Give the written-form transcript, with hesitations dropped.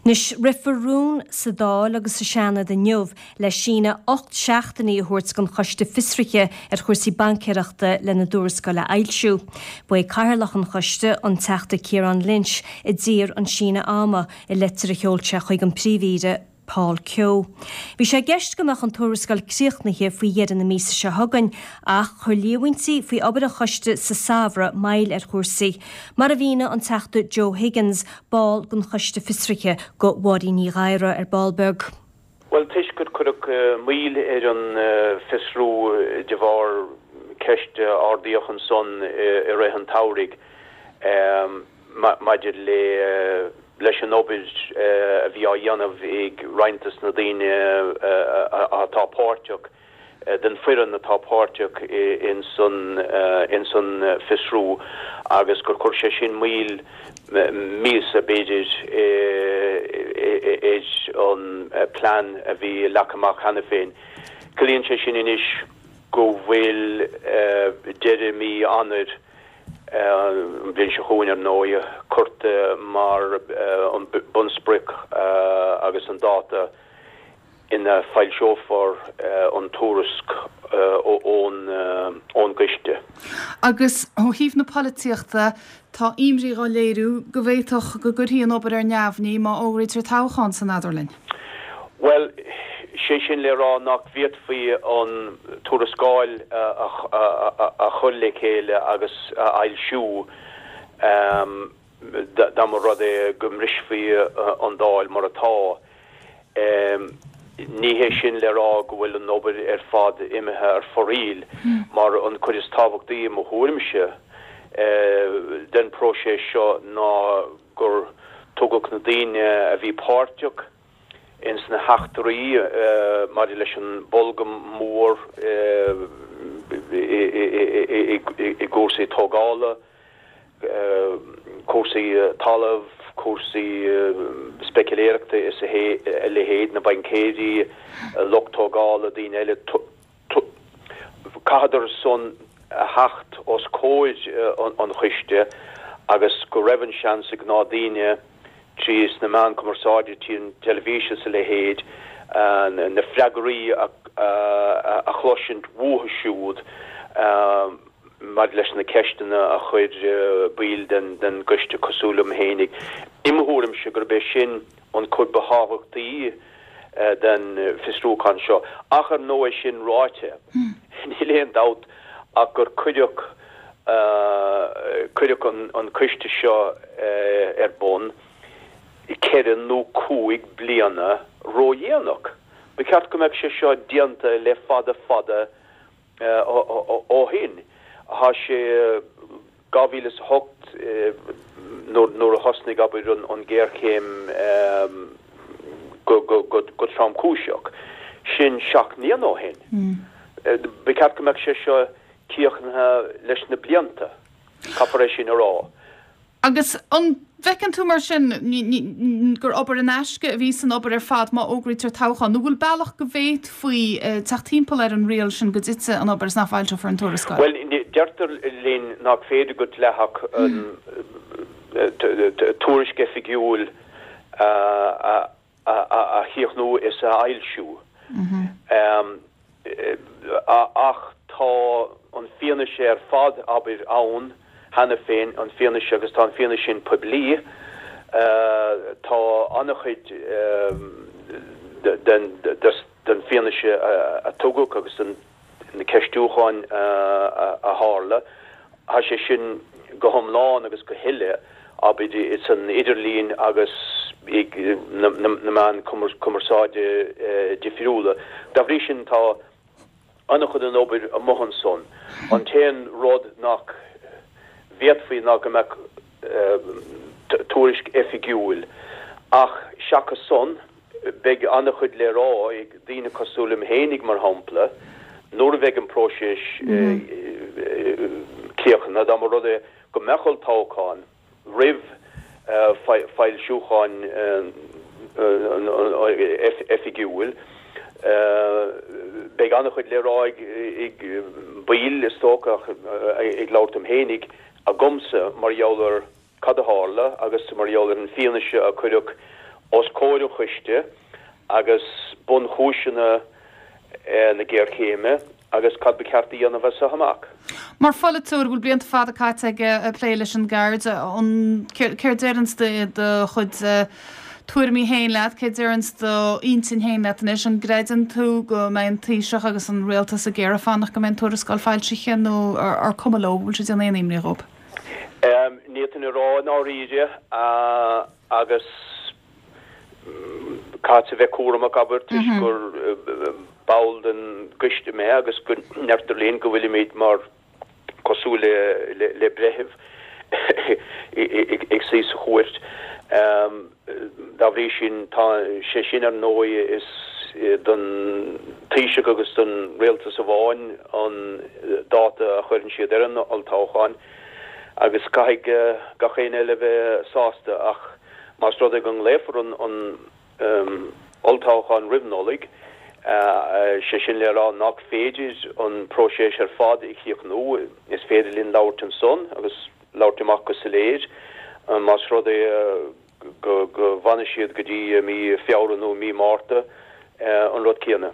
Anois, rithfear rún sa Dáil agus sa Seanad inniu le síneadh 8 seachtainí a thabhairt don Choiste Fiosraithe ar chúrsaí baincéireachta lena dtuarascáil a fhoilsiú. Ba é Cathaoirleach an Choiste, an Teachta Ciarán Lynch, a d'iarr an síneadh ama i leitir a sheol sé chuig an Príomh-Aoire, Paul Kehoe. Bhí sé i gceist go mbeadh an tuarascáil críochnaithe faoi dheireadh na míosa seo chugainn ach chuir líomhaintí faoi obair an choiste sa samhradh moill ar chúrsaí, mar a mhínigh an Teachta Joe Higgins, ball den Choiste Fiosraithe, do Mháirín Ní Ghadhra ar ball beag. Bhuel, toisc gur cuireadh moill ar an bhfiosrú de bharr ceist a ardaíodh ansan i rith an tsamhraidh maidir le leis an obair a bhí á dhéanamh ag roinnt des na daoine atá páirteach, den foireann atá páirteach ins an fiosrú agus gur chuir sé sin moill míosa, b'fhéidir, ar an plean a bhí leagtha amach cheana féin. Ciallaíonn sé sin anois go bhfuil deireadh mí Eanáir, an bhliain seo chugainn, ar ndóigh, curtha mar an bunsprioc agus an dáta ina foilseofar an tuairisc ón gcoiste. Agus ó thaobh na polaitíochta, tá imní á léiriú go bhféadfadh go gcuirfí an obair ar neamhní má fhógraítear toghchán san eadarlinn. Bhuel, sé sin le rá nach bhféadfaí an tuarascáil a chur le chéile agus a fhoilsiú dá mba rud é go mbrisfí an Dáil mar atá. Ní hé sin le rá go bhfuil an obair ar fad imithe ar foraíl, mar an cuid is tábhachtaí i mo thuairimse den próiseas seo ná gur tugadh na daoine a bhí páirteach ins na heachtraí maidir leis an bolgam mór i gcúrsaí tógála, cúrsaí talaimh, cúrsaí speiciléireachta is a leithéid, na baincéirí, lucht tógála, daoine eile, chaitheadar san a theacht os comhair an choiste agus go raibh an seans ag gnáthdaoine trí sna meáin cumarsáide, trí an teilifís is a leithéid, na freagraí a chloisint uathu siúd maidir leis na ceisteanna a chuir baill den gcoiste cosúil liom fhéinig. I mo thuairimse gurb é sin an chuid ba thábhachtaí den bhfiosrúchán seo. Ach ar ndóigh sin ráite, níl aon dabht ach gur cuireadh cuireadh an coiste seo ar bun ceithre nó cúig bliana ródhéanach. Ba cheart go mbeadh sé seo déanta le fada fada ó shin. Tá sé 2008 nuair a thosnaigh, abair, an ghéarchéim go tromchúiseach. Sin 7 mbliana ó shin. Ba cheart go mbeadh sé seo críochnaithe leis na blianta, caithfear é sin a rá. Agus an bhfeiceann tú mar sin gur obair in aisce a bhí san obair ar fad má fhógraítear toghchán? Nó bhfuil bealach go bhféadfaí teacht timpeall ar an riail sin go dtitfidh an obair is nach bhfoilseofar an tuarascáil? Bhuel, deirtear linn nach féidir go dleathach tuairisc oifigiúil a a chríochnú is a fhoilsiú. Ach tá an fianaise ar fad, abair, ann cheana féin, an fianaise, agus tá an fianaise sin poiblí. Tá an-chuid den fianaise a tugadh agus den na ceistiúcháin a tharla, tá sé sin go hiomlán agus go huile, abair, san idirlíon agus ag na meáin cumarsáide difriúla. Dá bhrí sin, tá an-chuid den obair amuigh ansan. An t-aon rud nach bhféadfaí ná go mbeadh tuairisc oifigiúil, ach seachas san, Beidh an-chuid le rá ag daoine cosúil liom fhéinig, mar shampla, nuair a bheidh an próiseas críochnaithe, dá mba rud é go mbeadh olltoghchán roimh foilsiúchán oifigiúil, beidh an-chuid le rá ag baill, is dócha, ach ag labhairt dom fhéinig, agamsa mar gheall ar. cad a tharla agus mar gheall ar an fianaise a cuireadh. os comhair an choiste agus bunchúiseanna na géarchéime agus cad ba cheart a dhéanamh as seo amach. Mar pholaiteoir a bhfuil blianta fada caite aige ag plé leis an gceird, an, céard deireanns do chuid tuairimí féin leat, céard deireanns d'intinn féin leat anois, an gcreideann tú go mbeidh an Taoiseach agus an Rialtas ag iarraidh fanacht go mbeidh an tuarascáil foilsithe nó ar cuma leo, an bhfuil sé ag déanamh aon imní dhóibh? Ní fhéadfainn a rá i ndáiríre agus caithfeadsa a bheith cúramach, abair, toisc gur ball den gcoiste mé agus go ndeirtear linn go bhfuilimid mar cosúil le breitheamh ag suí sa chúirt. Dá bhrí sin, tá sé sin ar ndóigh is don Taoiseach agus don Rialtas amháin an dáta a chuireann siad ar an olltoghchán agus caithfidh gach éinne eile a bheith sásta ach Más rud é go nglaofar an olltoghchán roimh Nollaig, sé sin le rá nach féidir an próiseas ar fad a chríochnú, is féidir linn labhairt ansan agus labhairt amach go soiléir más rud é go bhfanfaidh siad go dtí mí Feabhra nó mí Márta, an rud céanna.